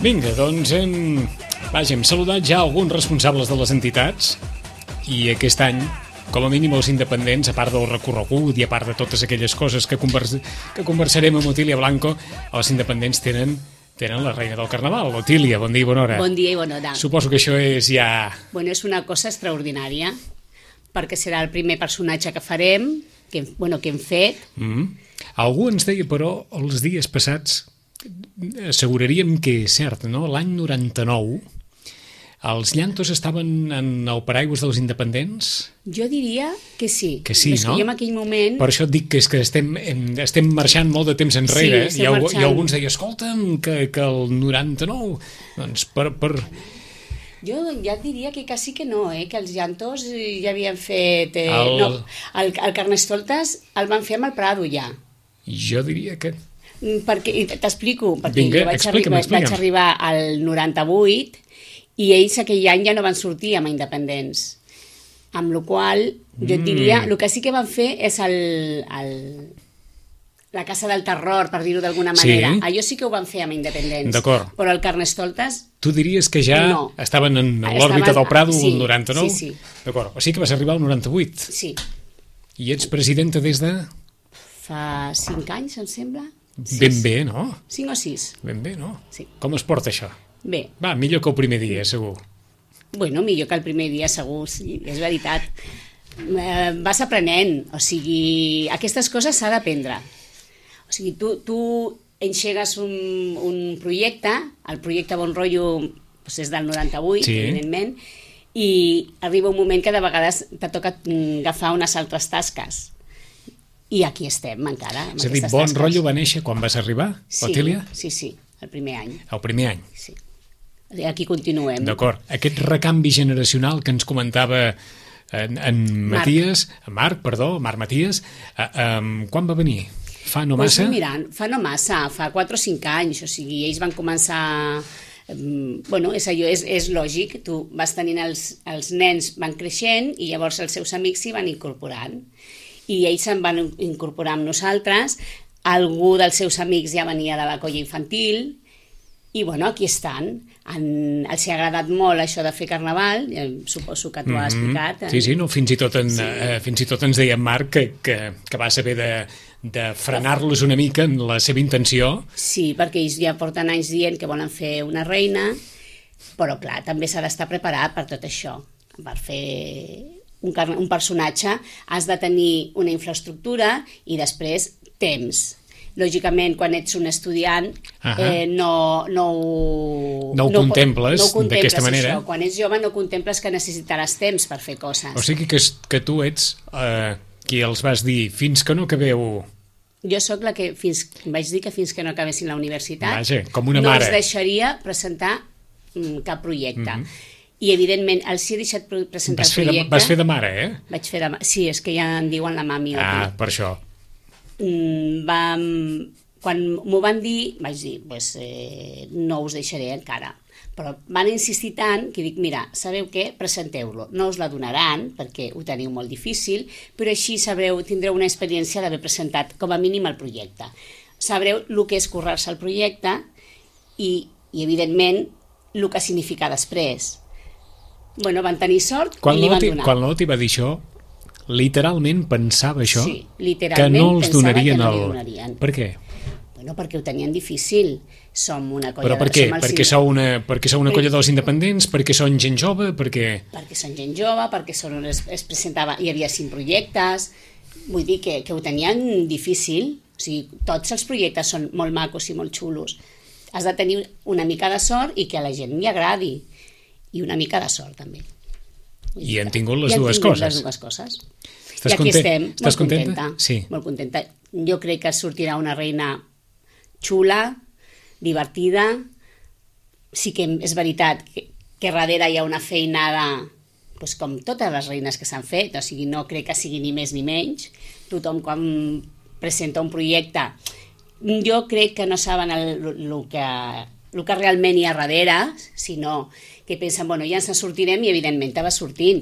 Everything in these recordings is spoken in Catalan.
Vinga, doncs hem saludat ja alguns responsables de les entitats i aquest any, com a mínim els independents, a part del recorregut i a part de totes aquelles coses que conversarem amb Otília Blanco, els independents tenen la reina del carnaval. Otília, bon dia i bona hora. Bon dia i bona hora. Suposo que això és ja... Bueno, és una cosa extraordinària, perquè serà el primer personatge que farem, que hem fet. Algú ens deia, però, els dies passats, asseguraríem que és cert, no? L'any 99, els llantos estaven en el paraigües dels independents? Jo diria que sí. Que sí, no? Que jo en aquell moment... Per això et dic que és que estem marxant molt de temps enrere. Sí, i algú ens deia, escolta'm, que el 99... Doncs Jo ja et diria que quasi que no, que els llantos ja havien fet... El Carnestoltes el van fer amb el Prado ja. Jo diria que... T'explico, perquè Vinga, jo vaig arribar al 98 i ells aquell any ja no van sortir amb Independents. Amb la qual jo et diria, el que sí que van fer és la Casa del Terror, per dir-ho d'alguna manera. Sí. Allò sí que ho van fer amb Independents. D'acord. Però el Carnestoltes... Tu diries que ja estaven en l'òrbita del Prado el 99? Sí. D'acord. O sigui que vas arribar al 98? Sí. I ets presidenta des de... Fa 5 anys, em sembla. Ben bé, no? 5 o 6. Ben bé, no? Sí. Com es porta això? Bé. Va, millor que el primer dia, segur. Bueno, millor que el primer dia, segur, sí, és veritat. Vas aprenent, o sigui, aquestes coses s'ha d'aprendre. O sigui, tu engegues un projecte, el projecte Bon Rotllo doncs és del 98, sí, evidentment, i arriba un moment que de vegades te toca agafar unes altres tasques. I aquí estem encara. És a dir, Bon Rotllo va néixer quan vas arribar, Otília? Sí, el primer any. El primer any? Sí. Aquí continuem. D'acord. Aquest recanvi generacional que ens comentava Marc Matías, quan va venir? Fa no massa? Doncs mirant, fa no massa, fa 4 o 5 anys, o sigui, ells van començar... Bueno, és allò, és lògic, tu vas tenint els nens van creixent i llavors els seus amics s'hi van incorporant. I ells se'n van incorporar amb nosaltres, algú dels seus amics ja venia de la colla infantil, i bueno, aquí estan. Els ha agradat molt això de fer carnaval, suposo que t'ho ha explicat. Sí, no, fins i tot ens deia Marc que va saber de frenar-los una mica en la seva intenció. Sí, perquè ells ja porten anys dient que volen fer una reina, però clar, també s'ha d'estar preparat per tot això, per fer un personatge has de tenir una infraestructura i després temps. Lògicament, quan ets un estudiant no ho contemples d'aquesta manera. Això. Quan ets jove no contemples que necessitaràs temps per fer coses. O sigui que tu ets qui els vas dir fins que no acabeu... Jo sóc la que vaig dir que fins que no acabessin la universitat com una mare. No els deixaria presentar cap projecte. I evidentment els he deixat presentar el projecte. Vas fer de mare, Vaig fer de mare, sí, és que ja en diuen la mami. Per això. Quan m'ho van dir, vaig dir, no us deixaré encara. Però van insistir tant que dic, mira, sabeu què? Presenteu-lo. No us la donaran, perquè ho teniu molt difícil, però així tindreu una experiència d'haver presentat com a mínim el projecte. Sabreu el que és currar-se el projecte i evidentment, el que significa després. Bueno, van tenir sort i li van donar. Quan l'Oti va dir això, literalment pensava això? Sí, literalment que no els pensava donarien que no li donarien. Per què? Bueno, perquè ho tenien difícil. Som una colla... Però per què? Perquè sou una colla dels independents? Perquè són gent jove? Perquè són gent jove, perquè es presentava... Hi havia 5 projectes... Vull dir que ho tenien difícil. O sigui, tots els projectes són molt macos i molt xulos. Has de tenir una mica de sort i que a la gent li agradi. I una mica de sort, també. I han tingut les dues coses. Les dues coses. Estàs I aquí estem, Estàs molt contenta. Sí. Molt contenta. Jo crec que sortirà una reina xula, divertida. Sí que és veritat que darrere hi ha una feinada, com totes les reines que s'han fet, o sigui, no crec que sigui ni més ni menys. Tothom quan presenta un projecte, jo crec que no saben el que realment hi ha darrere, sinó que pensen, ja ens en sortirem i evidentment te van sortint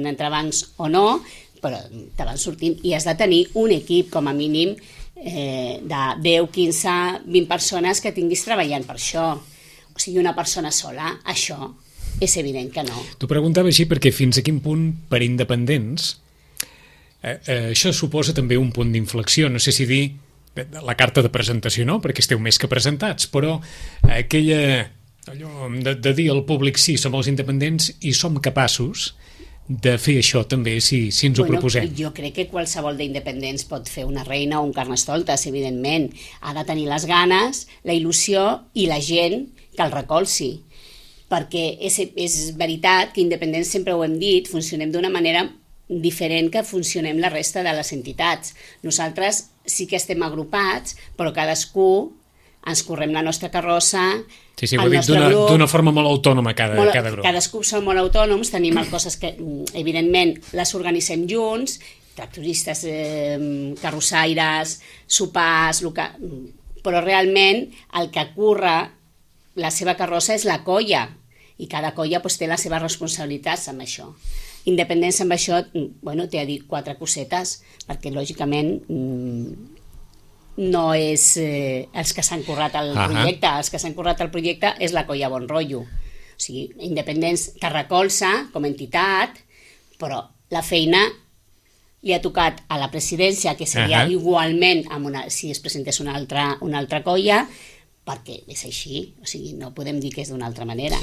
entrebancs o no, però te van sortint i has de tenir un equip com a mínim de 10, 15, 20 persones que tinguis treballant per això. o sigui, una persona sola, això és evident que no. T'ho preguntava així perquè fins a quin punt, per independents, això suposa també un punt d'inflexió, no sé si dir la carta de presentació no, perquè esteu més que presentats, però aquella allò de dir al públic sí, som els independents i som capaços de fer això també si ens ho proposem. Jo crec que qualsevol d'independents pot fer una reina o un Carnestoltes, evidentment. Ha de tenir les ganes, la il·lusió i la gent que el recolzi. Perquè és veritat que independents, sempre ho hem dit, funcionem d'una manera diferent que funcionem la resta de les entitats. Nosaltres sí que estem agrupats, però cadascú ens correm la nostra carrossa. Sí, ho he dit d'una forma molt autònoma cada grup. Cadascú som molt autònoms, tenim coses que evidentment les organitzem junts, tractoristes, carrossaires, sopars, però realment el que curra la seva carrossa és la colla, i cada colla té les seves responsabilitats amb això. Independents amb això, t'he de dir 4 cosetes, perquè lògicament no és els que s'han currat el projecte, els que s'han currat el projecte és la colla Bon Rotllo. O sigui, Independents que recolza com a entitat, però la feina li ha tocat a la presidència, que seria igualment si es presentés una altra colla, perquè és així, o sigui, no podem dir que és d'una altra manera.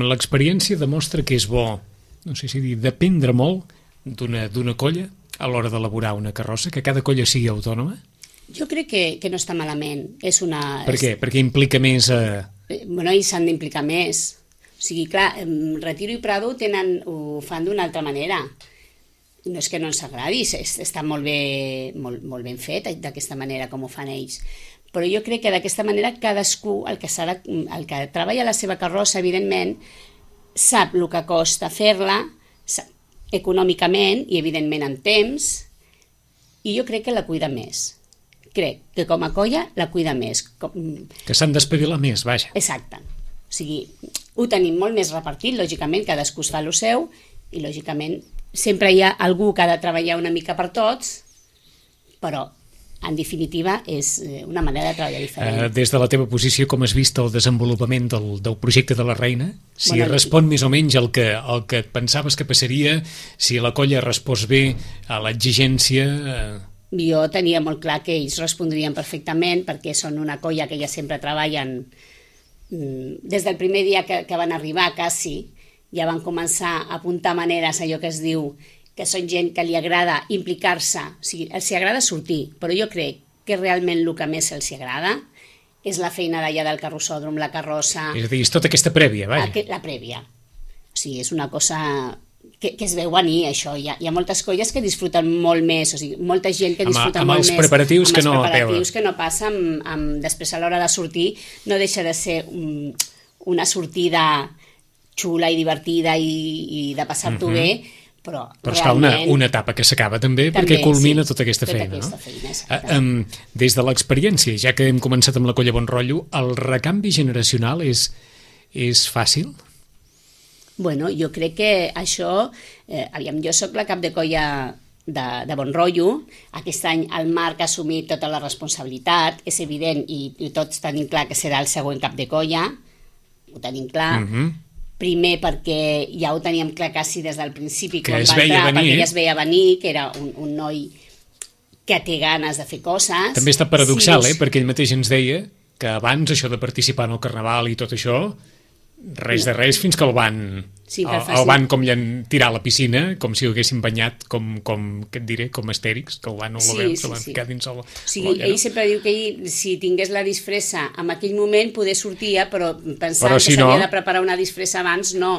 L'experiència demostra que és bo, no sé si dir, dependre molt d'una colla a l'hora d'elaborar una carrossa, que cada colla sigui autònoma? Jo crec que no està malament. Per què? Perquè implica més... I s'han d'implicar més. O sigui, clar, Retiro i Prado ho fan d'una altra manera. No és que no ens agradi, està molt ben fet d'aquesta manera com ho fan ells. Però jo crec que d'aquesta manera cadascú, el que treballa la seva carrossa, evidentment, sap el que costa fer-la econòmicament i, evidentment, en temps, i jo crec que la cuida més. Crec que com a colla la cuida més. Que s'han d'espavilar més, vaja. Exacte. O sigui, ho tenim molt més repartit, lògicament, cadascú es fa el seu, i lògicament sempre hi ha algú que ha de treballar una mica per tots, però en definitiva és una manera de treballar diferent. Des de la teva posició, com has vist el desenvolupament del projecte de la Reina? Si respon més o menys el que et pensaves que passaria, si la colla respòs bé a l'exigència... Jo tenia molt clar que ells respondrien perfectament, perquè són una colla que ja sempre treballen des del primer dia que van arribar, quasi, ja van començar a apuntar maneres, allò que es diu, que són gent que li agrada implicar-se, o sigui, els agrada sortir, però jo crec que realment el que més els agrada és la feina d'allà del carrossòdrom, la carrossa... És a dir, és tota aquesta prèvia, vaja. La prèvia. O sigui, és una cosa... que es veu venir, això. Hi ha moltes colles que disfruten molt més, o sigui, molta gent que disfruta molt més. Amb els preparatius que no... Amb els preparatius que no passa, després a l'hora de sortir, no deixa de ser una sortida xula i divertida i de passar-t'ho bé, però es fa una etapa que s'acaba també perquè culmina tota aquesta feina, no? Des de l'experiència, ja que hem començat amb la colla Bon Rotllo, el recanvi generacional és fàcil? Bueno, jo crec que això... jo soc la cap de colla de Bon Rotllo. Aquest any el Marc ha assumit tota la responsabilitat, és evident, i tots tenim clar que serà el següent cap de colla, ho tenim clar. Primer perquè ja ho teníem clar quasi des del principi, que es veia venir, perquè ja es veia venir, que era un noi que té ganes de fer coses. També està paradoxal, perquè ell mateix ens deia que abans això de participar en el Carnaval i tot això, res de res, fins que el van com tirar a la piscina, com si ho haguessin banyat, què et diré, com Astèrix, que el van se van ficar dins el... O sigui, ell sempre diu que ell, si tingués la disfressa en aquell moment, poder sortia, però pensant que s'havia de preparar una disfressa abans, no.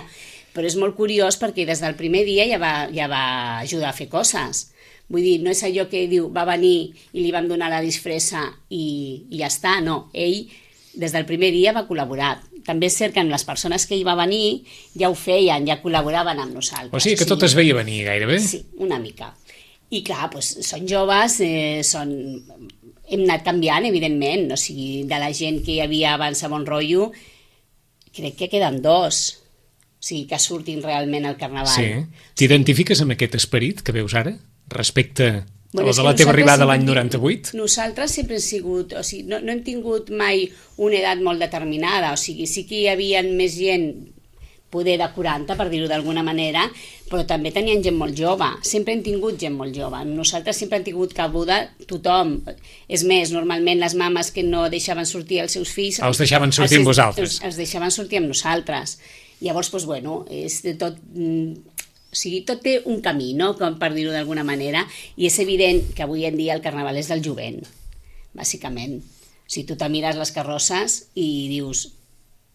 Però és molt curiós perquè des del primer dia ja va ajudar a fer coses. Vull dir, no és allò que diu, va venir i li van donar la disfressa i ja està, no. Ell, des del primer dia, va col·laborar. També és cert que amb les persones que hi va venir ja ho feien, ja col·laboraven amb nosaltres. O sigui que tot es veia venir gairebé? Sí, una mica. I clar, són joves, hem anat canviant, evidentment. O sigui, de la gent que hi havia abans a Bon Rotllo, crec que queden 2. O sigui, que surtin realment al Carnaval. Sí. T'identifiques amb aquest esperit que veus ara? Respecte O de la teva arribada l'any 98? Nosaltres sempre hem sigut... O sigui, no hem tingut mai una edat molt determinada. O sigui, sí que hi havia més gent, poder de 40, per dir-ho d'alguna manera, però també tenien gent molt jove. Sempre hem tingut gent molt jove. Nosaltres sempre hem tingut cabuda tothom. És més, normalment les mames que no deixaven sortir els seus fills... Els deixaven sortir amb vosaltres. Els deixaven sortir amb nosaltres. Llavors, doncs, bueno, és de tot... O sigui, tot té un camí, no?, com per dir-ho d'alguna manera, i és evident que avui en dia el carnaval és del jovent, bàsicament. O sigui, tu te mires les carrosses i dius,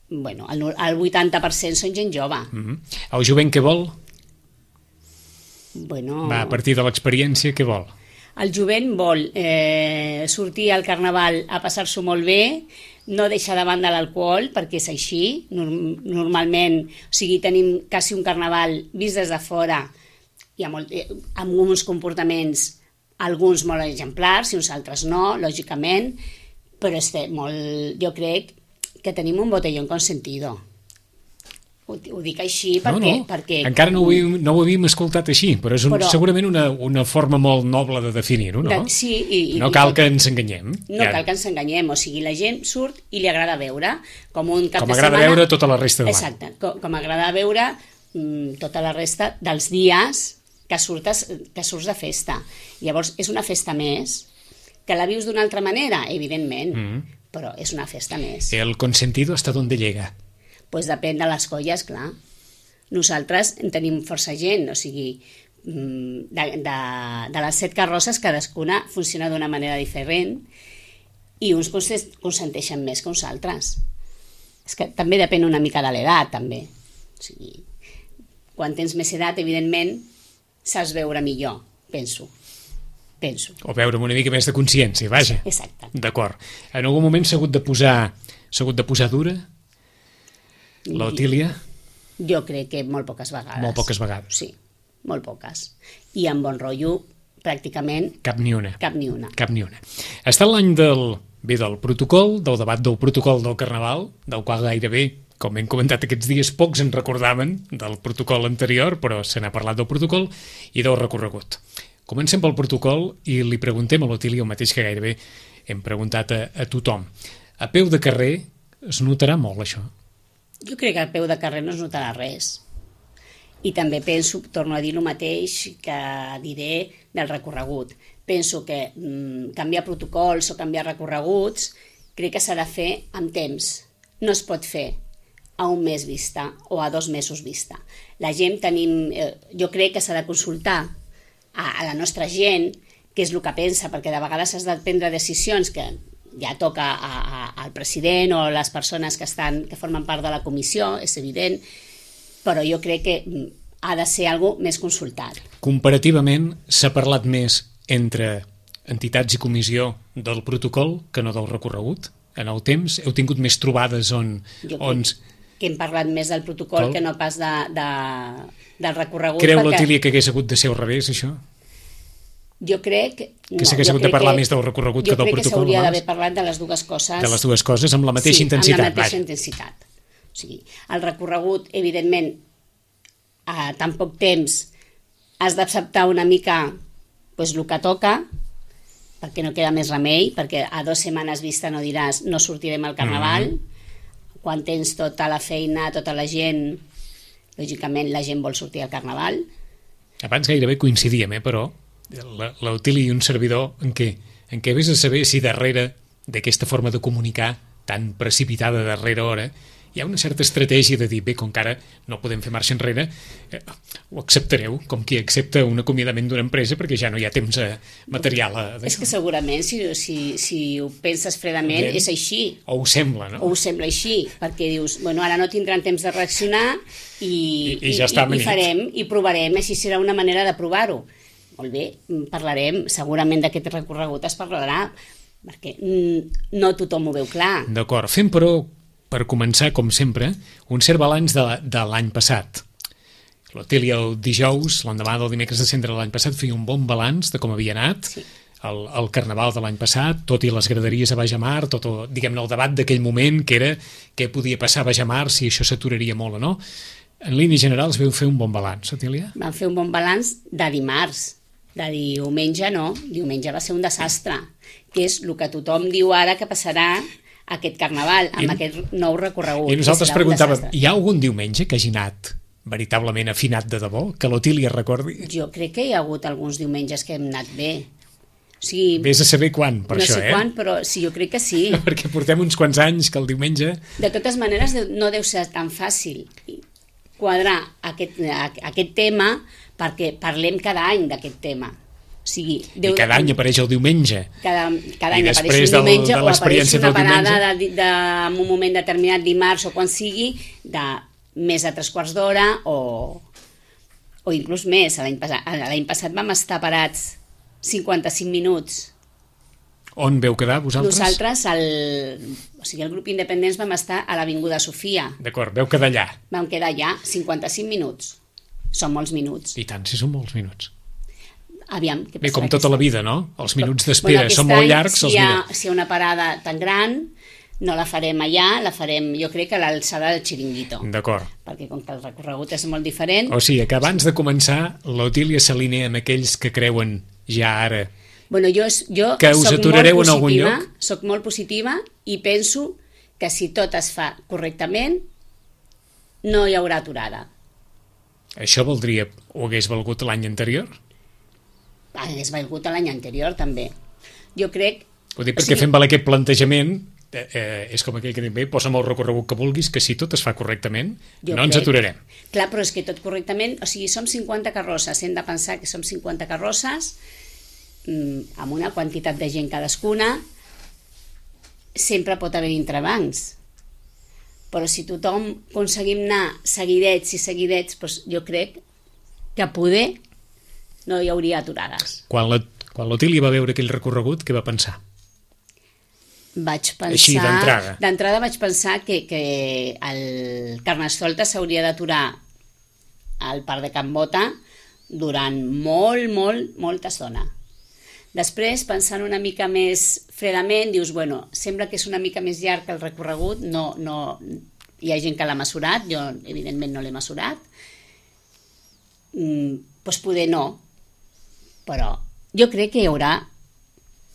bueno, el 80% són gent jove. El jovent què vol? Bueno... Va, a partir de l'experiència, què vol? El jovent vol sortir al carnaval a passar-s'ho molt bé, no deixar de banda l'alcohol, perquè és així. Normalment, o sigui, tenim quasi un carnaval vist des de fora i amb uns comportaments, alguns molt exemplars i uns altres no, lògicament, però jo crec que tenim un botellón consentido. Ho dic així perquè... Encara no ho havíem escoltat així, però és segurament una forma molt noble de definir-ho, no? Sí. No cal que ens enganyem. No cal que ens enganyem, o sigui, la gent surt i li agrada veure, com un cap de setmana... Com agrada veure tota la resta de l'any. Exacte, com agrada veure tota la resta dels dies que surts de festa. Llavors, és una festa més, que la vius d'una altra manera, evidentment, però és una festa més. El consentido hasta donde llega. Pues depèn de les colles, clar. Nosaltres en tenim força gent, o sigui, de les 7 carrosses cadascuna funciona d'una manera diferent i uns consenteixen més que uns altres. És que també depèn una mica de l'edat, també. O sigui, quan tens més edat, evidentment, saps veure millor, penso. O veure amb una mica més de consciència, vaja. Exacte. D'acord. En algun moment s'ha hagut de posar dura? L'Otília? Jo crec que molt poques vegades. Molt poques vegades. Sí, molt poques. I amb bon rotllo, pràcticament... Cap ni una. Cap ni una. Està l'any del protocol, del debat del protocol del Carnaval, del qual gairebé, com hem comentat aquests dies, pocs en recordaven del protocol anterior, però se n'ha parlat del protocol i del recorregut. Comencem pel protocol i li preguntem a l'Otília el mateix que gairebé hem preguntat a tothom. A peu de carrer es notarà molt això? Jo crec que al peu de carrer no es notarà res. I també penso, torno a dir el mateix que diré del recorregut. Penso que canviar protocols o canviar recorreguts crec que s'ha de fer amb temps. No es pot fer a un mes vista o a 2 mesos vista. La gent jo crec que s'ha de consultar a la nostra gent què és el que pensa, perquè de vegades has de prendre decisions que ja toca al president o a les persones que formen part de la comissió, és evident, però jo crec que ha de ser algo més consultat. Comparativament, s'ha parlat més entre entitats i comissió del protocol que no del recorregut? En el temps heu tingut més trobades on... Jo crec que hem parlat més del protocol que no pas del recorregut. Creu l'Otília que hagués hagut de ser al revés, això? Jo crec... Que s'hagués hagut de parlar més del recorregut que del protocol? Jo crec que s'hauria d'haver parlat de les dues coses. De les dues coses, amb la mateixa intensitat. Sí, amb la mateixa intensitat. O sigui, el recorregut, evidentment, a tan poc temps has d'acceptar una mica el que toca, perquè no queda més remei, perquè a 2 setmanes vista no diràs no sortirem al carnaval, quan tens tota la feina, tota la gent, lògicament la gent vol sortir al carnaval. Abans gairebé coincidíem, però l'Otília i un servidor en què vés a saber si darrere d'aquesta forma de comunicar tan precipitada darrere hora hi ha una certa estratègia de dir, bé, com que ara no podem fer marxa enrere, ho acceptareu, com qui accepta un acomiadament d'una empresa perquè ja no hi ha temps material. És que segurament, si ho penses fredament, és així. O ho sembla, no? O ho sembla així, perquè dius, bueno, ara no tindran temps de reaccionar i ja està i farem, i provarem, així serà una manera de provar-ho. Molt bé, parlarem, segurament d'aquest recorregut es parlarà, perquè no tothom ho veu clar. D'acord, fem però, per començar, com sempre, un cert balanç de l'any passat. L'Otília el dijous, l'endemà del dimecres de cendre de l'any passat, feia un bon balanç de com havia anat el carnaval de l'any passat, tot i les graderies a Bajamar, tot, diguem-ne, el debat d'aquell moment, que era què podia passar a Bajamar, si això s'aturaria molt o no. En línies generals vau fer un bon balanç, Otília? Vam fer un bon balanç de dimarts. De diumenge no, diumenge va ser un desastre, que és el que tothom diu ara que passarà aquest carnaval, amb aquest nou recorregut. I nosaltres preguntàvem, hi ha algun diumenge que hagi anat veritablement afinat de debò? Que l'Otília recordi? Jo crec que hi ha hagut alguns diumenges que hem anat bé. O sigui, vés a saber quan, per no això, sé quan, però sí, jo crec que sí. Perquè portem uns quants anys que el diumenge... De totes maneres, no deu ser tan fàcil quadrar aquest tema perquè parlem cada any d'aquest tema. O sigui, I cada any apareix el diumenge. Cada any I apareix després un diumenge de o apareix una parada en un moment determinat, dimarts o quan sigui, de més de 3/4 d'hora o inclús més. L'any passat vam estar parats 55 minuts. On veu quedar, vosaltres? Nosaltres, el grup independents, vam estar a l'Avinguda Sofia. D'acord, veu quedar allà. Vam quedar allà 55 minuts. Són molts minuts. I tant, si són molts minuts. Aviam, què Bé, passarà com tota la vida, no? Els minuts d'espera són molt llargs. Si hi ha una parada tan gran, no la farem allà, la farem, jo crec, a l'alçada del Xiringuito. D'acord. Perquè com que el recorregut és molt diferent... O sigui, que abans de començar, l'Otília s'alinea amb aquells que creuen ja ara... Bueno, jo que us aturareu en algun lloc? Soc molt positiva i penso que si tot es fa correctament, no hi haurà aturada. Això voldria, o hagués valgut l'any anterior? Hagués valgut l'any anterior, també. Jo crec... Ho dic perquè fem valer aquest plantejament, és com aquell que diu, bé, posa'm el recorregut que vulguis, que si tot es fa correctament, no ens aturarem. Clar, però és que tot correctament, o sigui, som 50 carrosses, hem de pensar que som 50 carrosses, amb una quantitat de gent cadascuna, sempre pot haver entrebancs. Però si tothom aconseguim anar seguidets i seguidets, doncs jo crec que poder no hi hauria aturades. Quan l'Otília va veure aquell recorregut, què va pensar? Vaig pensar... Així, d'entrada. D'entrada vaig pensar que el Carnestoltes s'hauria d'aturar al Parc de Can Bota durant molta estona. Després, pensant una mica més fredament, dius, bueno, sembla que és una mica més llarg que el recorregut, no, hi ha gent que l'ha mesurat, jo evidentment no l'he mesurat, doncs poder no, però jo crec que hi haurà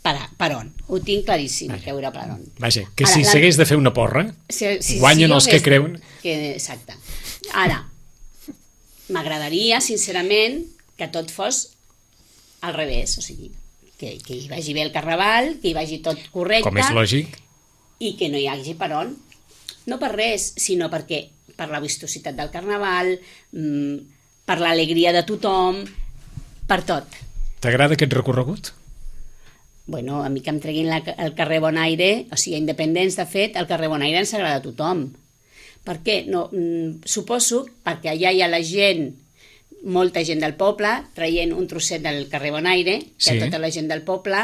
per on, ho tinc claríssim, que hi haurà per on. Vaja, que si s'hagués de fer una porra, guanyen els que creuen... Exacte. Ara, m'agradaria, sincerament, que tot fos al revés, o sigui, que hi vagi bé el carnaval, que hi vagi tot correcte... Com és lògic. I que no hi hagi per on. No per res, sinó perquè per la vistositat del carnaval, per l'alegria de tothom, per tot. T'agrada aquest recorregut? Bueno, a mi que em treguin el carrer Bonaire, o sigui, independents, de fet, el carrer Bonaire ens agrada a tothom. Per què? No, suposo perquè allà hi ha la gent, molta gent del poble, traient un trosset del carrer Bonaire, que sí. Tota la gent del poble,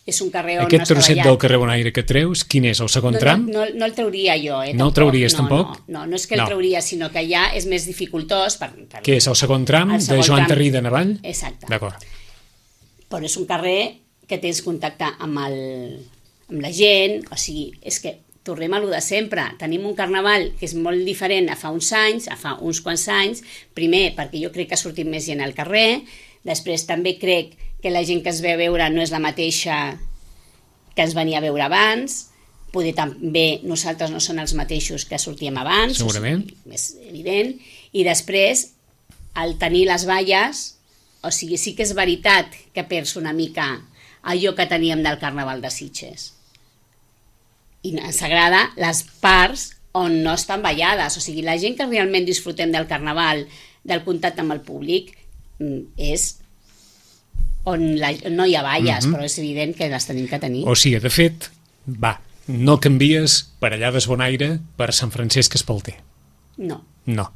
és un carrer on aquest trosset del carrer Bonaire que treus, quin és, el segon tram? No el trauria jo, No el trauries tampoc? No és que el trauria, sinó que allà és més dificultós. Què és, el segon tram de Joan Tarrida en avall? Exacte. D'acord. Però és un carrer que tens contacte amb la gent, o sigui, és que tornem a lo de sempre. Tenim un carnaval que és molt diferent a fa uns anys, a fa uns quants anys, primer perquè jo crec que ha sortit més gent al carrer, després també crec que la gent que es ve a veure no és la mateixa que ens venia a veure abans, poder també nosaltres no són els mateixos que sortíem abans, segurament. O sigui, és evident, i després, al tenir les valles, o sigui, sí que és veritat que perds una mica allò que teníem del Carnaval de Sitges. I ens agrada les parts on no estan ballades, o sigui, la gent que realment disfrutem del Carnaval, del contacte amb el públic, és on no hi ha valles, però és evident que les tenim que tenir. O sigui, de fet, no canvies per allà d'Esbonaire per Sant Francesc Espalter. No. No.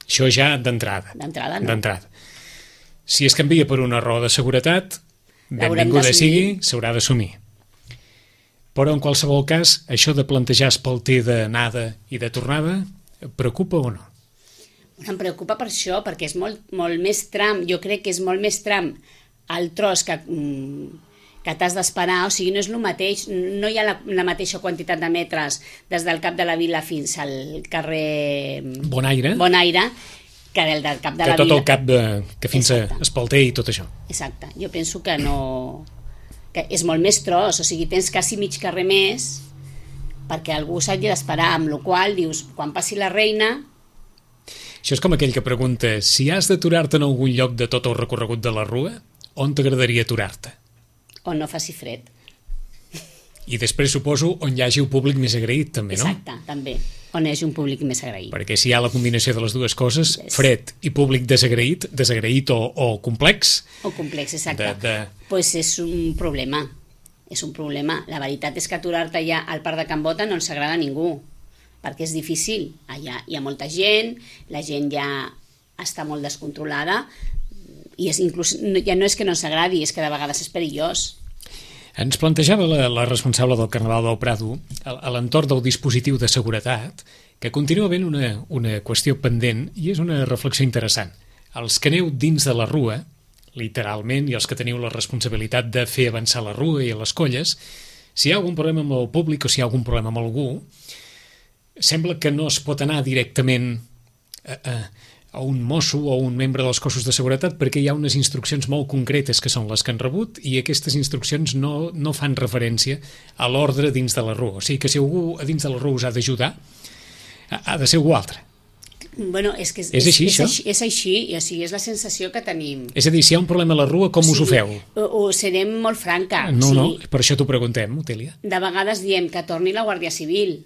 Això ja d'entrada. D'entrada no. D'entrada. Si es canvia per una raó de seguretat, benvinguda sigui, s'haurà d'assumir. Però en qualsevol cas, això de plantejar Espalter d'anada i de tornada, preocupa o no? Em preocupa per això, perquè és molt més tram, jo crec que és molt més tram el tros que t'has d'esperar, o sigui, no és el mateix, no hi ha la mateixa quantitat de metres des del cap de la vila fins al carrer Bonaire, que del cap de que la tot vila. el cap que fins a Espalter i tot això. Exacte, jo penso que no, que és molt més tros, o sigui, tens quasi mig carrer més perquè algú s'hagi d'esperar, amb la qual dius, quan passi la reina... Això és com aquell que pregunta, si has d'aturar-te en algun lloc de tot el recorregut de la Rua, on t'agradaria aturar-te? On no faci fred. I després suposo on hi hagi un públic més agraït, també, no? Exacte, també, on hi hagi un públic més agraït. Perquè si hi ha la combinació de les dues coses, fred i públic desagraït o complex... O complex, exacte. Pues és un problema, és un problema. La veritat és que aturar-te allà al Parc de Can Bota no ens agrada a ningú, perquè és difícil. Allà hi ha molta gent, la gent ja està molt descontrolada, i inclús, ja no és que no ens agradi, és que de vegades és perillós. Ens plantejava la responsable del Carnaval del Prado a l'entorn del dispositiu de seguretat que continua havent una qüestió pendent i és una reflexió interessant. Els que aneu dins de la Rua, literalment, i els que teniu la responsabilitat de fer avançar la Rua i les colles, si hi ha algun problema amb el públic o si hi ha algun problema amb algú, sembla que no es pot anar directament a un mosso o un membre dels cossos de seguretat perquè hi ha unes instruccions molt concretes que són les que han rebut i aquestes instruccions no fan referència a l'ordre dins de la Rua. O sigui que si algú a dins de la Rua us ha d'ajudar, ha de ser algú altre. Bueno, és que és així, això? És així, i o sigui, és la sensació que tenim. És a dir, si hi ha un problema a la Rua, com us ho feu? Ho serem molt franca. No, per això t'ho preguntem, Otèlia. De vegades diem que torni la Guàrdia Civil.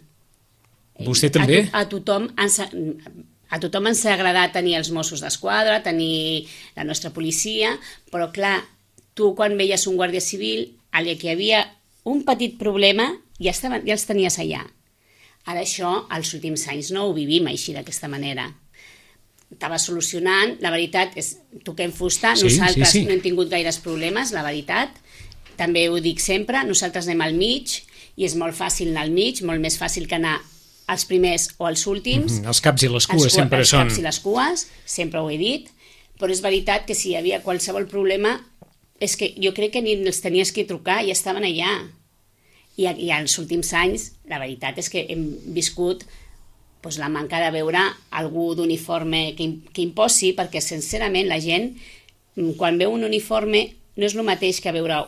Vostè també? A tothom ens ha agradat tenir els Mossos d'Esquadra, tenir la nostra policia, però clar, tu quan veies un guàrdia civil, allà que hi havia un petit problema, ja els tenies allà. Ara això, als últims anys, no ho vivim així, d'aquesta manera. Estava solucionant, la veritat és, toquem fusta, nosaltres no hem tingut gaires problemes, la veritat, també ho dic sempre, nosaltres anem al mig, i és molt fàcil anar al mig, molt més fàcil que anar els primers o els últims. Els caps i les cues sempre són... Els caps i les cues, sempre ho he dit, però és veritat que si hi havia qualsevol problema, és que jo crec que ni els tenies que trucar, ja estaven allà. I als últims anys, la veritat és que hem viscut la manca de veure algú d'uniforme que imposi, perquè sincerament la gent, quan veu un uniforme, no és el mateix que veure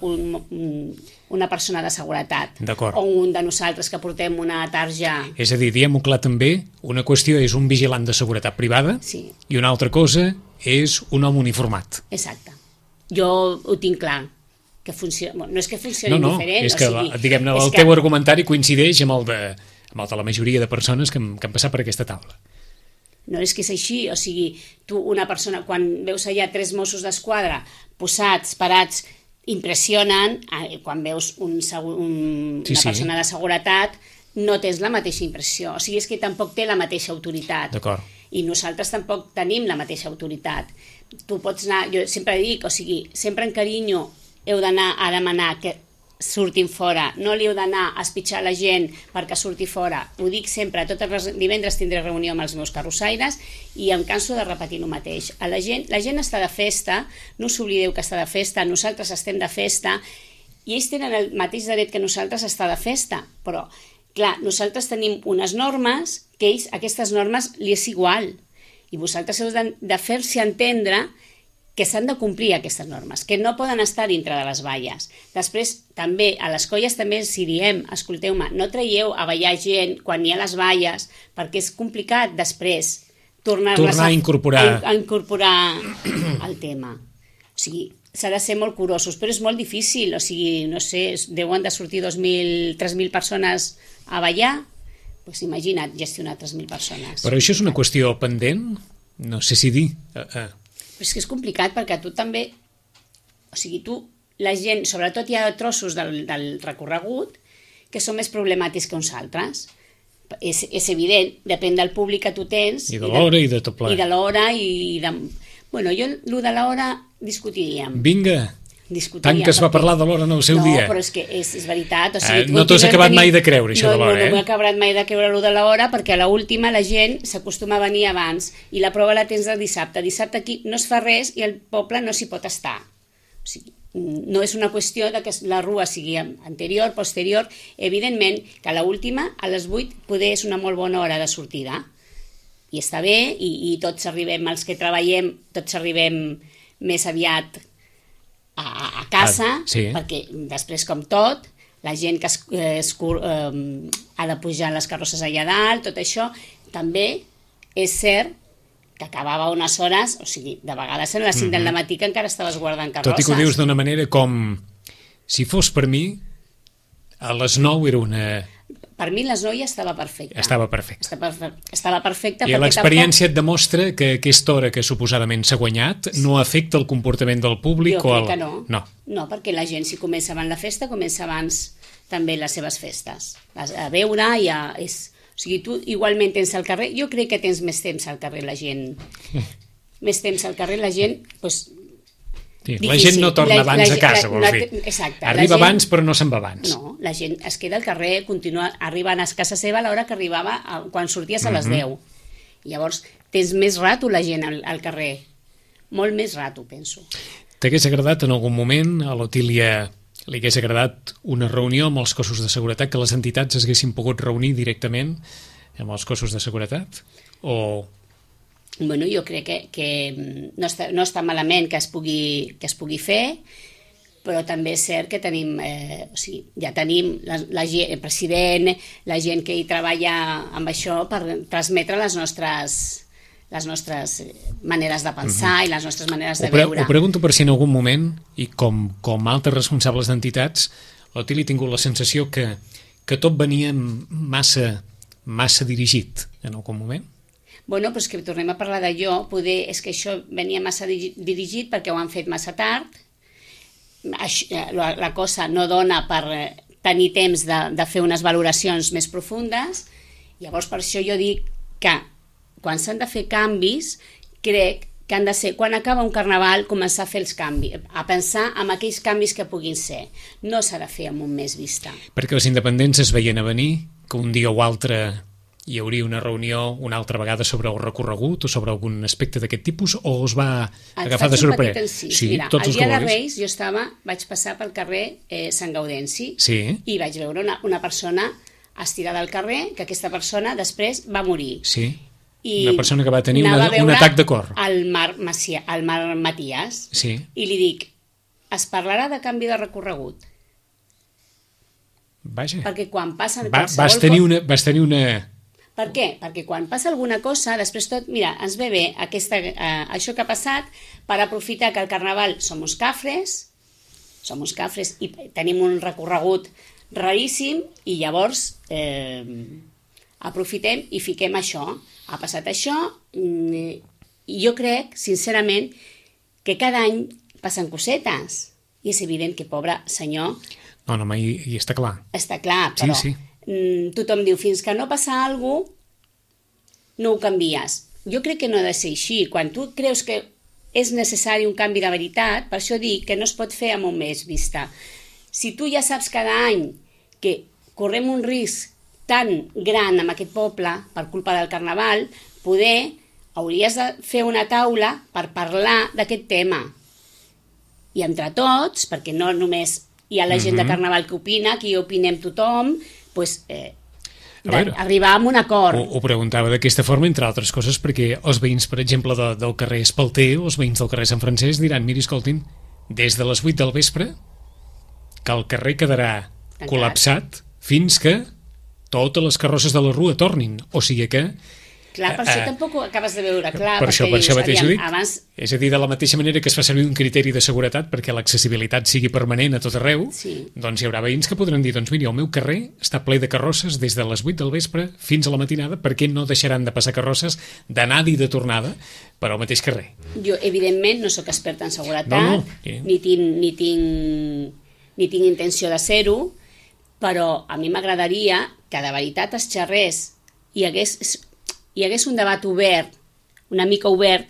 una persona de seguretat o un de nosaltres que portem una tarja. És a dir, diguem-ho clar també, una qüestió és un vigilant de seguretat privada i una altra cosa és un home uniformat. Exacte. Jo ho tinc clar, que funciona, no és que funcioni diferent. És que, diguem-ne, el teu argumentari coincideix amb el de la majoria de persones que han passat per aquesta taula. No és que és així, o sigui, tu una persona, quan veus allà 3 Mossos d'Esquadra posats, parats, impressionen, quan veus una persona de seguretat no tens la mateixa impressió, o sigui, és que tampoc té la mateixa autoritat. D'acord. I nosaltres tampoc tenim la mateixa autoritat. Tu pots anar, jo sempre dic, o sigui, sempre en carinyo heu d'anar a demanar que surtin fora, no li heu d'anar a espitxar la gent perquè surti fora. Ho dic sempre, tots els divendres tindré reunió amb els meus carrossaires i em canso de repetir el mateix. La gent està de festa, no us oblideu que està de festa, nosaltres estem de festa i ells tenen el mateix dret que nosaltres estar de festa, però clar, nosaltres tenim unes normes que ells, aquestes normes li és igual i vosaltres heu de fer-se entendre que s'han de complir aquestes normes, que no poden estar dintre de les valles. Després, també, a les colles també els diem, escolteu-me, no traieu a ballar gent quan hi ha les valles, perquè és complicat després tornar a incorporar el tema. O sigui, s'ha de ser molt curosos, però és molt difícil, o sigui, no sé, deuen de sortir 2.000, 3.000 persones a ballar, doncs imagina't gestionar 3.000 persones. Però això és una qüestió pendent? No sé si dir... Però és que és complicat perquè tu també, o sigui, la gent, sobretot hi ha trossos del recorregut que són més problemàtics que uns altres. És evident, depèn del públic que tu tens. I de l'hora i de tot plegat. I de l'hora i de... Bueno, jo, el de l'hora discutiríem. Vinga, tant que es va parlar de l'hora en el seu dia. No, però és que és veritat. O sigui, no t'ho has acabat mai de creure, això de l'hora, No m'he acabat mai de creure allò de l'hora, perquè a l'última la gent s'acostuma a venir abans i la prova la tens el dissabte. Dissabte aquí no es fa res i el poble no s'hi pot estar. O sigui, no és una qüestió de que la Rua sigui anterior, posterior. Evidentment que a l'última, a les 8, poder és una molt bona hora de sortida. i està bé, i tots arribem, els que treballem, tots arribem més aviat a casa, perquè després, com tot, la gent que ha de pujar les carrosses allà dalt, tot això, també és cert que acabava unes hores, o sigui, de vegades a les 5 del matí que encara estaves guardant carrosses. Tot i que ho dius d'una manera com, si fos per mi, a les 9 era una... Per mi les 9 ja estava perfecta. Estava perfecta. Estava perfecta. I l'experiència et demostra que aquesta hora que suposadament s'ha guanyat no afecta el comportament del públic? Jo crec que no. No, perquè la gent, si comença abans la festa, comença abans també les seves festes. A veure, ja és... O sigui, tu igualment tens al carrer... Jo crec que tens més temps al carrer, la gent. Més temps al carrer, la gent... Doncs, sí, la gent no torna abans a casa, vols dir. Exacte. Arriba abans, però no se'n va abans. No, la gent es queda al carrer, continua arribant a casa seva a l'hora que arribava quan sorties a les 10. Llavors, tens més rato la gent al carrer. Molt més rato, penso. T'hagués agradat en algun moment a l'Otília... Li hagués agradat una reunió amb els cossos de seguretat, que les entitats es haguessin pogut reunir directament amb els cossos de seguretat? O... Bueno, jo crec que no està malament que es pugui fer, però també és cert que tenim, ja tenim el president, la gent que hi treballa amb això per transmetre les nostres maneres de pensar i les nostres maneres de veure. Ho pregunto per si en algun moment, i com altres responsables d'entitats, l'Otília ha tingut la sensació que tot venia massa dirigit en algun moment? Bueno, però és que tornem a parlar d'allò, poder és que això venia massa dirigit perquè ho han fet massa tard, la cosa no dona per tenir temps de fer unes valoracions més profundes, llavors per això jo dic que quan s'han de fer canvis, crec que han de ser, quan acaba un carnaval, començar a fer els canvis, a pensar en aquells canvis que puguin ser. No s'ha de fer amb un mes vista. Perquè els independents es veien a venir, que un dia o altre hi hauria una reunió una altra vegada sobre el recorregut o sobre algun aspecte d'aquest tipus, o us va agafar de sorpresa? Sí, mira, el dia de Reis jo vaig passar pel carrer Sant Gaudenci i vaig veure una persona estirada al carrer, que aquesta persona després va morir. Sí. Una persona que va tenir un atac de cor. El Marc Matías. Sí. I li dic, es parlarà de canvi de recorregut. Vaja. Perquè quan passen... Vas tenir una... Per què? Perquè quan passa alguna cosa, després tot... Mira, ens ve bé això que ha passat per aprofitar que el carnaval som uns cafres i tenim un recorregut raríssim i llavors aprofitem i fiquem això. Ha passat això i jo crec, sincerament, que cada any passen cosetes i és evident que, pobre senyor... No, i està clar. Està clar, però tothom diu, fins que no passa alguna cosa, no ho canvies. Jo crec que no ha de ser així. Quan tu creus que és necessari un canvi de veritat, per això dic que no es pot fer amb un mes vista. Si tu ja saps cada any que correm un risc tan gran amb aquest poble per culpa del carnaval, poder hauries de fer una taula per parlar d'aquest tema. I entre tots, perquè no només hi ha la gent de carnaval que opina, aquí opinem tothom, doncs, arribar a un acord. Ho preguntava d'aquesta forma, entre altres coses, perquè els veïns, per exemple, del carrer Espalter, els veïns del carrer Sant Francesc, diran, miri, escoltin, des de les 8 del vespre, que el carrer quedarà col·lapsat fins que totes les carrosses de la rua tornin, o sigui que... Clar, per això tampoc ho acabes de veure clar. Per això mateix ho dic. És a dir, de la mateixa manera que es fa servir un criteri de seguretat perquè l'accessibilitat sigui permanent a tot arreu, doncs hi haurà veïns que podran dir, doncs mira, el meu carrer està ple de carrosses des de les 8 del vespre fins a la matinada, perquè no deixaran de passar carrosses d'anada i de tornada per al mateix carrer. Jo, evidentment, no sóc experta en seguretat, ni tinc intenció de ser-ho, però a mi m'agradaria que de veritat es xerrés i hi hagués un debat obert, una mica obert,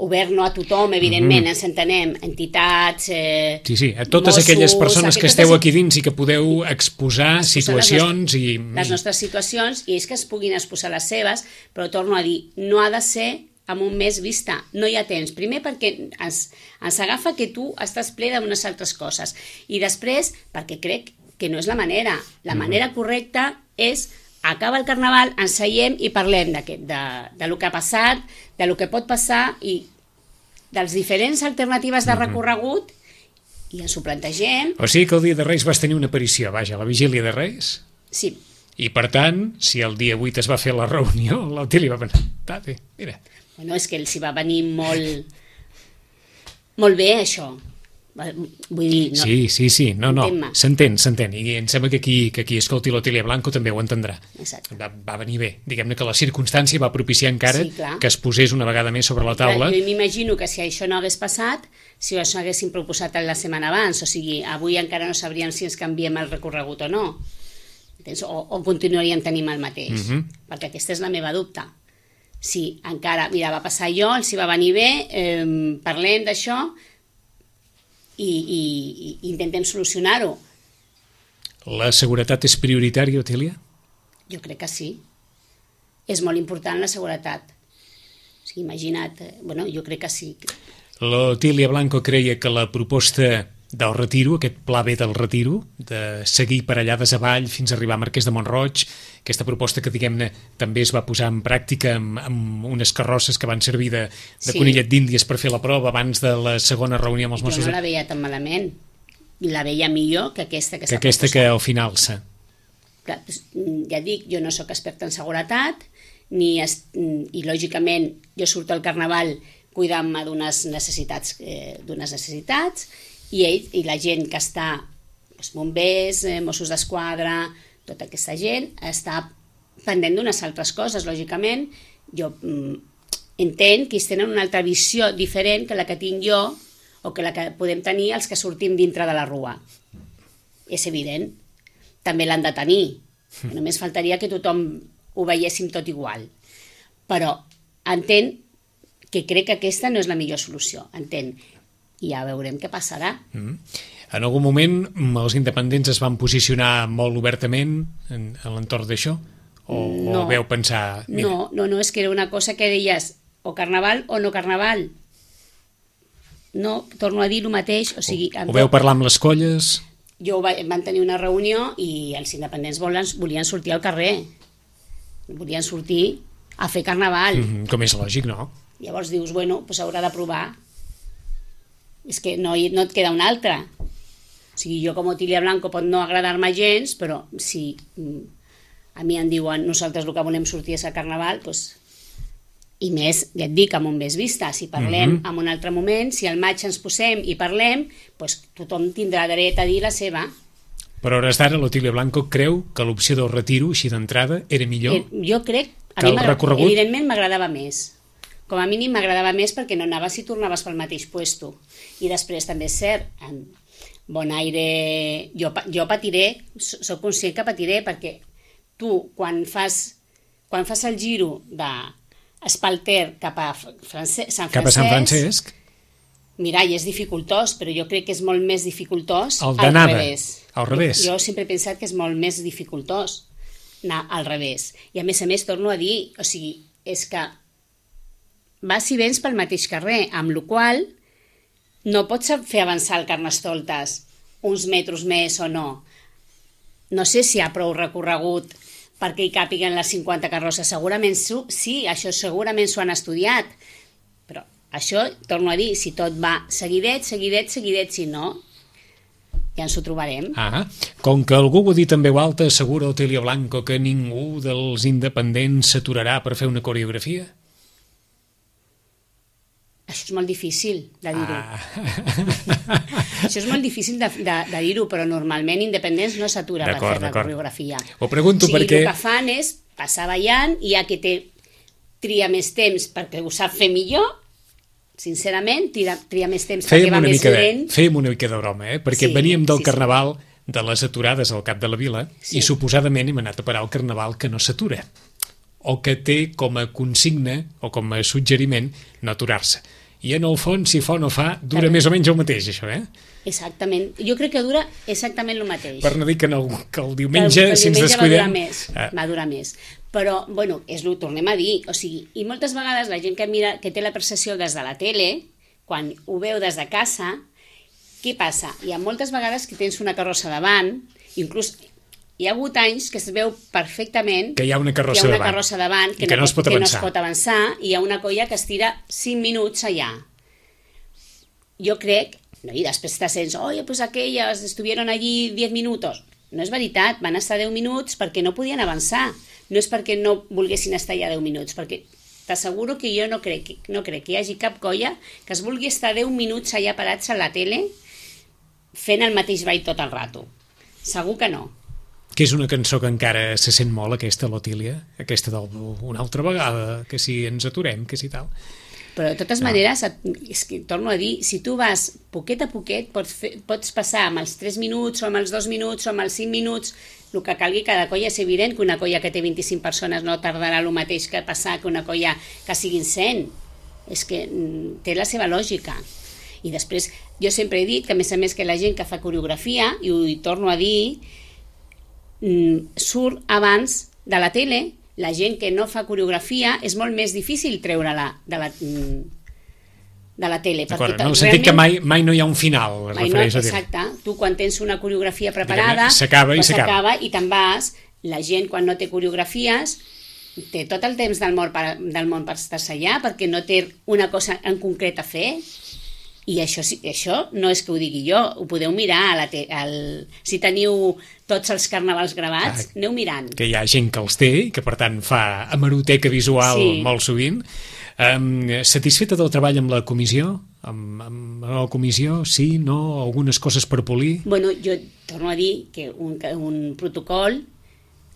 obert no a tothom, evidentment, ens entenem, entitats, Sí, a totes aquelles persones que esteu aquí dins i que podeu exposar situacions i... Les nostres situacions, i és que es puguin exposar les seves, però torno a dir, no ha de ser amb un mes vista, no hi ha temps. Primer perquè ens agafa que tu estàs ple d'unes altres coses, i després perquè crec que no és la manera. La manera correcta és acaba el Carnaval, ens seiem i parlem de lo que ha passat, de lo que pot passar i dels diferents alternatives de recorregut i ens ho plantegem. O sigui que el dia de Reis vas tenir una aparició, vaja, la vigília de Reis? Sí. I per tant, si el dia 8 es va fer la reunió, l'Otili va pensar, bé, mira. Bueno, és que s'hi va venir molt bé, això. Vull dir... No, sí, no, s'entén. I em sembla que qui escolti l'Otilia Blanco també ho entendrà. Exacte. Va venir bé. Diguem-ne que la circumstància va propiciar encara que es posés una vegada més sobre la taula. Jo m'imagino que si això no hagués passat, si això haguéssim proposat la setmana abans, o sigui, avui encara no sabríem si ens canviem el recorregut o no. O continuaríem tenint el mateix. Perquè aquesta és la meva dubte. Si encara, mira, va passar allò, els hi va venir bé, parlem d'això, i intentem solucionar-ho. La seguretat és prioritària, Otília? Jo crec que sí. És molt important la seguretat. O sigui, imagina't, jo crec que sí. L'Otília Blanco creia que la proposta del retiro, aquest pla B del retiro, de seguir per allà des avall fins a arribar a Marquès de Mont-roig, aquesta proposta que, diguem-ne, també es va posar en pràctica amb unes carrosses que van servir de conillet d'Índies per fer la prova abans de la segona reunió amb els Mossos. Jo no la veia tan malament. La veia millor que aquesta que s'ha proposat. Que al final s'ha. Clar, ja dic, jo no sóc experta en seguretat, i lògicament jo surto al Carnaval cuidant-me d'unes necessitats, i la gent que està, bombers, Mossos d'Esquadra, tota aquesta gent, està pendent d'unes altres coses, lògicament. Jo entenc que ells tenen una altra visió diferent que la que tinc jo o que la que podem tenir els que sortim dintre de la rua. És evident. També l'han de tenir. Només faltaria que tothom ho veiéssim tot igual. Però entenc que crec que aquesta no és la millor solució. Entenc. I ja veurem què passarà. En algun moment els independents es van posicionar molt obertament a l'entorn d'això? O veu pensar... Mira. No, és que era una cosa que deies o Carnaval o no Carnaval. No, torno a dir el mateix. O veu parlar amb les colles? Van tenir una reunió i els independents volien sortir al carrer. Volien sortir a fer Carnaval. Com és lògic, no? Llavors dius, doncs haurà de provar. És que no et queda una altra. O sigui, jo com a Otília Blanco pot no agradar-me gens, però si a mi em diuen nosaltres el que volem sortir és a Carnaval, doncs, i més, ja et dic, amb un més vista. Si parlem en un altre moment, si al maig ens posem i parlem, doncs tothom tindrà dret a dir la seva. Però a hores d'ara l'Otília Blanco creu que l'opció del retiro, així d'entrada, era millor? Jo crec, evidentment m'agradava més. Com a mínim m'agradava més perquè no anaves i tornaves pel mateix puesto. I després també és cert, en Bonaire, jo patiré, soc conscient que patiré, perquè tu quan fas el giro d'Espalter cap a Sant Francesc, mira, i és dificultós, però jo crec que és molt més dificultós al revés. Jo sempre he pensat que és molt més dificultós anar al revés. I a més, torno a dir, o sigui, és que vas i vens pel mateix carrer, amb la qual no pots fer avançar el Carnestoltes uns metres més o no. No sé si hi ha prou recorregut perquè hi càpiguen les 50 carrosses. Segurament sí, això segurament s'ho han estudiat. Però això, torno a dir, si tot va seguidet, si no, ja ens ho trobarem. Com que algú ho ha dit en veu alta, assegura Otília Blanco que ningú dels independents s'aturarà per fer una coreografia? Això és molt difícil de dir-ho. Això és molt difícil de dir-ho, però normalment independents no s'atura per fer la coreografia. Ho pregunto perquè... El que fan és passar ballant i ja que tria més temps perquè ho sap fer millor, sincerament, tria més temps perquè va més lent. Fèiem una mica de broma, perquè veníem del Carnaval de les aturades al cap de la vila i suposadament hem anat a parar al Carnaval que no s'atura, o que té com a consigna o com a suggeriment no aturar-se. I en el fons, si fa o no fa, dura més o menys el mateix, això, Exactament. Jo crec que dura exactament el mateix. Per no dir que el diumenge, si ens descuidem... Va durar més. Però, tornem a dir, o sigui, i moltes vegades la gent que té la percepció des de la tele, quan ho veu des de casa, què passa? Hi ha moltes vegades que tens una carrossa davant, inclús hi ha hagut anys que es veu perfectament que hi ha una carrossa davant i que no es pot avançar i hi ha una colla que es tira 5 minuts allà. Jo crec, no, i després te sents, oye, pues aquelles estuvieron allí 10 minutos. No és veritat, van estar 10 minuts perquè no podien avançar. No és perquè no volguessin estar allà 10 minuts, perquè t'asseguro que jo no crec que hi hagi cap colla que es vulgui estar 10 minuts allà parats a la tele fent el mateix ball tot el rato. Segur que no. Que és una cançó que encara se sent molt, aquesta, l'Otília, aquesta una altra vegada, que si ens aturem, que si tal. Però de totes maneres, és que torno a dir, si tu vas poquet a poquet, pots passar amb els 3 minuts o amb els 2 minuts o amb els 5 minuts, el que calgui cada colla. És evident que una colla que té 25 persones no tardarà el mateix que passar que una colla que siguin 100. És que té la seva lògica. I després, jo sempre he dit que, a més, que la gent que fa coreografia, i ho torno a dir, surt abans de la tele. La gent que no fa coreografia és molt més difícil treure-la de la tele. D'acord, en el sentit que mai no hi ha un final, es refereix a dir. Exacte, tu quan tens una coreografia preparada, s'acaba i te'n vas. La gent quan no té coreografies té tot el temps del món per estar-se allà, perquè no té una cosa en concret a fer. I això no és que ho digui jo, ho podeu mirar si teniu tots els carnavals gravats, aneu mirant. Que hi ha gent que els té i que per tant fa hemeroteca visual molt sovint. Satisfeta del treball amb la comissió? Amb la comissió, sí, no? Algunes coses per polir? Bueno, jo torno a dir que un protocol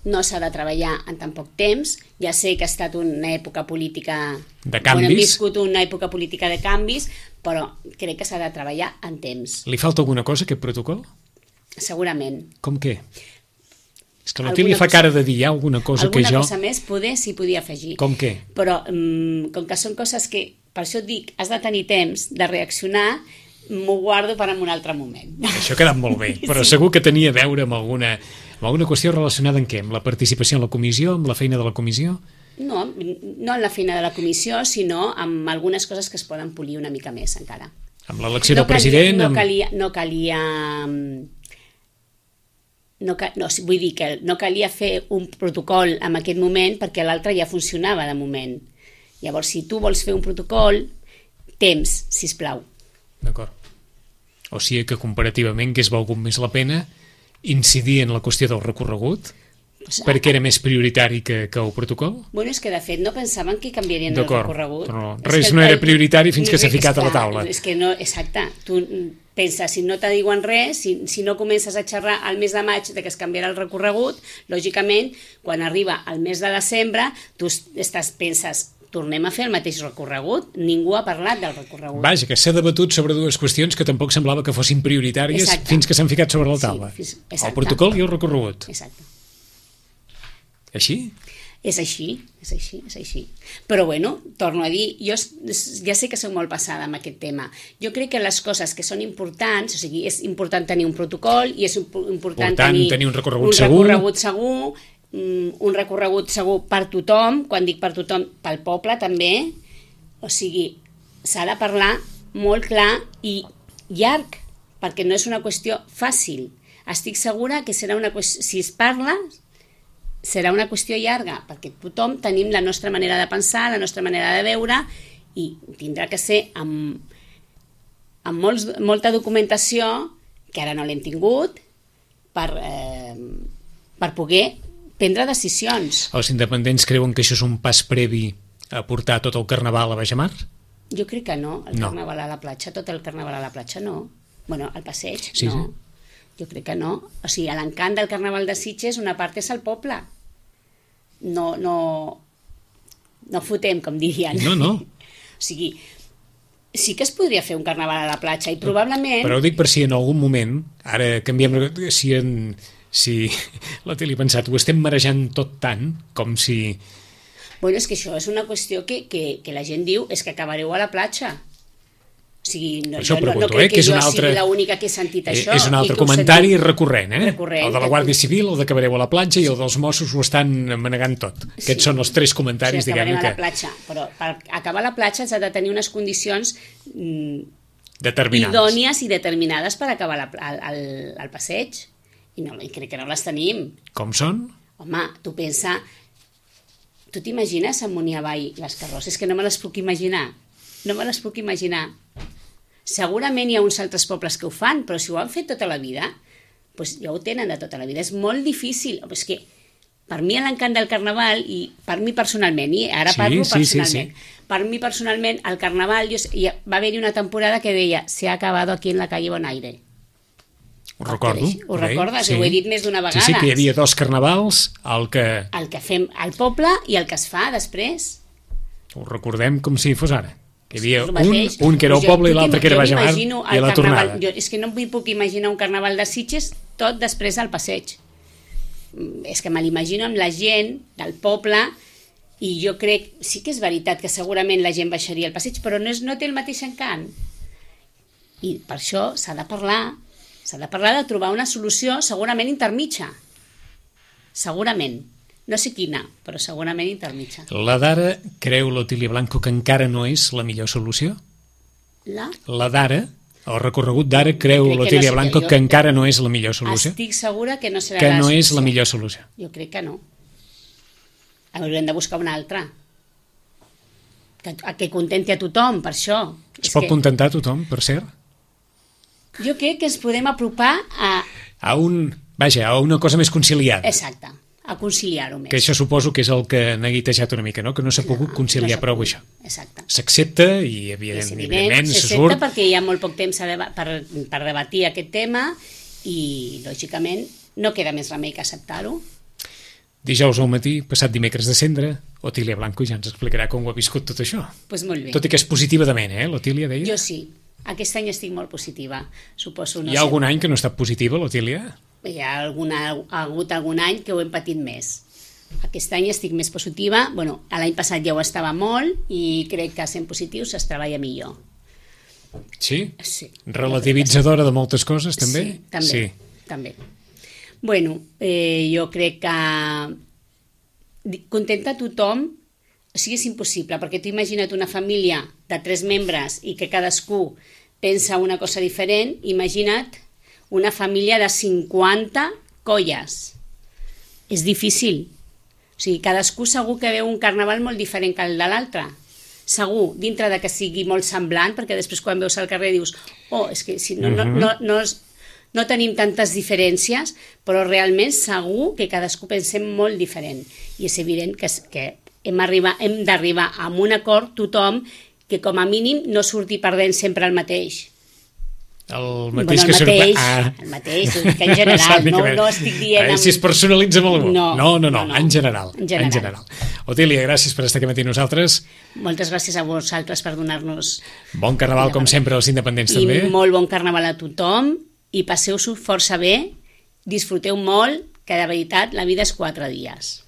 no s'ha de treballar en tan poc temps. Ja sé que ha estat una època política de canvis. Hem viscut una època política de canvis, però crec que s'ha de treballar en temps. Li falta alguna cosa, aquest protocol? Segurament. Com què? És que l'Otília fa cara de dir, hi ha alguna cosa que jo... Alguna cosa més s'hi podia afegir. Com què? Però com que són coses que, per això et dic, has de tenir temps de reaccionar, m'ho guardo per en un altre moment. Això ha quedat molt bé, però segur que tenia a veure amb alguna qüestió relacionada amb què? Amb la participació en la comissió, amb la feina de la comissió? No en la feina de la comissió, sinó amb algunes coses que es poden polir una mica més encara. Amb l'elecció del president? Vull dir que no calia fer un protocol en aquest moment perquè l'altre ja funcionava de moment. Llavors, si tu vols fer un protocol, temps, sisplau. D'acord. O sigui que comparativament hagués valgut més la pena incidir en la qüestió del recorregut perquè era més prioritari que el protocol? Bueno, és que de fet no pensaven que canviarien el recorregut. Res no era prioritari fins que s'ha ficat a la taula. És que no, exacte. Tu penses, si no te diuen res, si no comences a xerrar al mes de maig de que es canviarà el recorregut, lògicament, quan arriba el mes de desembre, tu penses, tornem a fer el mateix recorregut. Ningú ha parlat del recorregut. Vaja, que s'ha debatut sobre dues qüestions que tampoc semblava que fossin prioritàries fins que s'han ficat sobre la taula. El protocol i el recorregut. Exacte. Així? És així. Però bueno, torno a dir, jo ja sé que soc molt passada amb aquest tema. Jo crec que les coses que són importants, o sigui, és important tenir un protocol i és important tenir un recorregut segur, un recorregut segur per tothom. Quan dic per tothom, pel poble també. O sigui, s'ha de parlar molt clar i llarg, perquè no és una qüestió fàcil. Estic segura que serà una qüestió, si es parla, serà una qüestió llarga, perquè tothom tenim la nostra manera de pensar, la nostra manera de veure, i tindrà que ser amb molta documentació, que ara no l'hem tingut, per poder prendre decisions. Els independents creuen que això és un pas previ a portar tot el carnaval a Baixamar? Jo crec que no, carnaval a la platja, tot el carnaval a la platja no. Bueno, el passeig, no. Sí. Jo crec que no. O sigui, l'encant del carnaval de Sitges, una part és el poble. No fotem, com dirien. No. O sigui, sí que es podria fer un carnaval a la platja i probablement... Però ho dic per si en algun moment, ara canviem, si la tele ha pensat, ho estem marejant tot tant, com si... Bueno, és que això és una qüestió que la gent diu, és que acabareu a la platja. O sigui, no crec que jo sigui l'única que he sentit això. És un altre comentari recurrent, el de la Guàrdia Civil, el de que acabareu a la platja, i el dels Mossos ho estan manegant tot. Aquests són els tres comentaris, diguem-ne, que... a la platja, però per acabar a la platja s'ha de tenir unes condicions idònies i determinades per acabar al passeig. I crec que no les tenim. Com són? Home, tu pensa... Tu t'imagines amunt i avall les carrosses? És que no me les puc imaginar. No me les puc imaginar. Segurament hi ha uns altres pobles que ho fan, però si ho han fet tota la vida, doncs ja ho tenen de tota la vida. És molt difícil. És que per mi l'encant del carnaval, i per mi personalment, i ara parlo personalment, per mi personalment el carnaval, va haver-hi una temporada que deia «Se ha acabado aquí en la calle Bonaire». Ho recordo. Ho recordes? Ho he dit més d'una vegada. Sí, que hi havia 2 carnavals, el que fem al poble i el que es fa després. Ho recordem com si fos ara. Que hi havia un que era al poble i l'altre que era a Baix de Mar i a la tornada. És que no em puc imaginar un carnaval de Sitges tot després al passeig. És que me l'imagino amb la gent del poble i jo crec, sí que és veritat que segurament la gent baixaria al passeig, però no té el mateix encant. I per això s'ha de parlar de trobar una solució segurament intermitja. Segurament. No sé quina, però segurament intermitja. La d'ara creu l'Otília Blanco que encara no és la millor solució? La d'ara, el recorregut d'ara, creu l'Otília Blanco que encara no és la millor solució? Estic segura que no serà que no és la millor solució. Jo crec que no. Haurem de buscar una altra. Que contenti a tothom, per això. Es pot contentar a tothom, per cert? Jo crec que ens podem apropar a una cosa més conciliada. Exacte, a conciliar-ho més. Que això suposo que és el que n'ha guitejat una mica, no? Que no s'ha pogut conciliar prou això. Exacte. S'accepta i evidentment se surt. S'accepta perquè hi ha molt poc temps per debatir aquest tema i, lògicament, no queda més remei que acceptar-ho. Dijous al matí, passat dimecres de cendre, Otília Blanco ja ens explicarà com ho ha viscut tot això. Pues molt bé. Tot i que és positiva de ment, l'Otília deia? Jo sí. Aquest any estic molt positiva, suposo. Hi ha algun any que no ha estat positiva, l'Otília? Hi ha hagut algun any que ho hem patit més. Aquest any estic més positiva. Bueno, l'any passat ja ho estava molt i crec que sent positius es treballa millor. Sí? Sí. Relativitzadora de moltes coses, també? Sí, també. Sí. També. Bueno, jo crec que contenta tothom, o sigui, és impossible, perquè tu imagina't una família de 3 membres i que cadascú pensa una cosa diferent, imagina't una família de 50 colles. És difícil. O sigui, cadascú segur que veu un carnaval molt diferent que el de l'altre. Segur, dintre de que sigui molt semblant, perquè després quan veus al carrer dius és que si no tenim tantes diferències, però realment segur que cadascú pensem molt diferent. I és evident que hem d'arribar a un acord tothom que com a mínim no surti perdent sempre el mateix. El mateix que surt... El mateix, que en general, no estic dient... Si es personalitza molt. No, en general. En general. Otília, gràcies per estar aquí matí nosaltres. Moltes gràcies a vosaltres per donar-nos... Bon carnaval, com sempre, als independents també. I molt bon carnaval a tothom, i passeu-s'ho força bé, disfruteu molt, que de veritat la vida és 4 dies.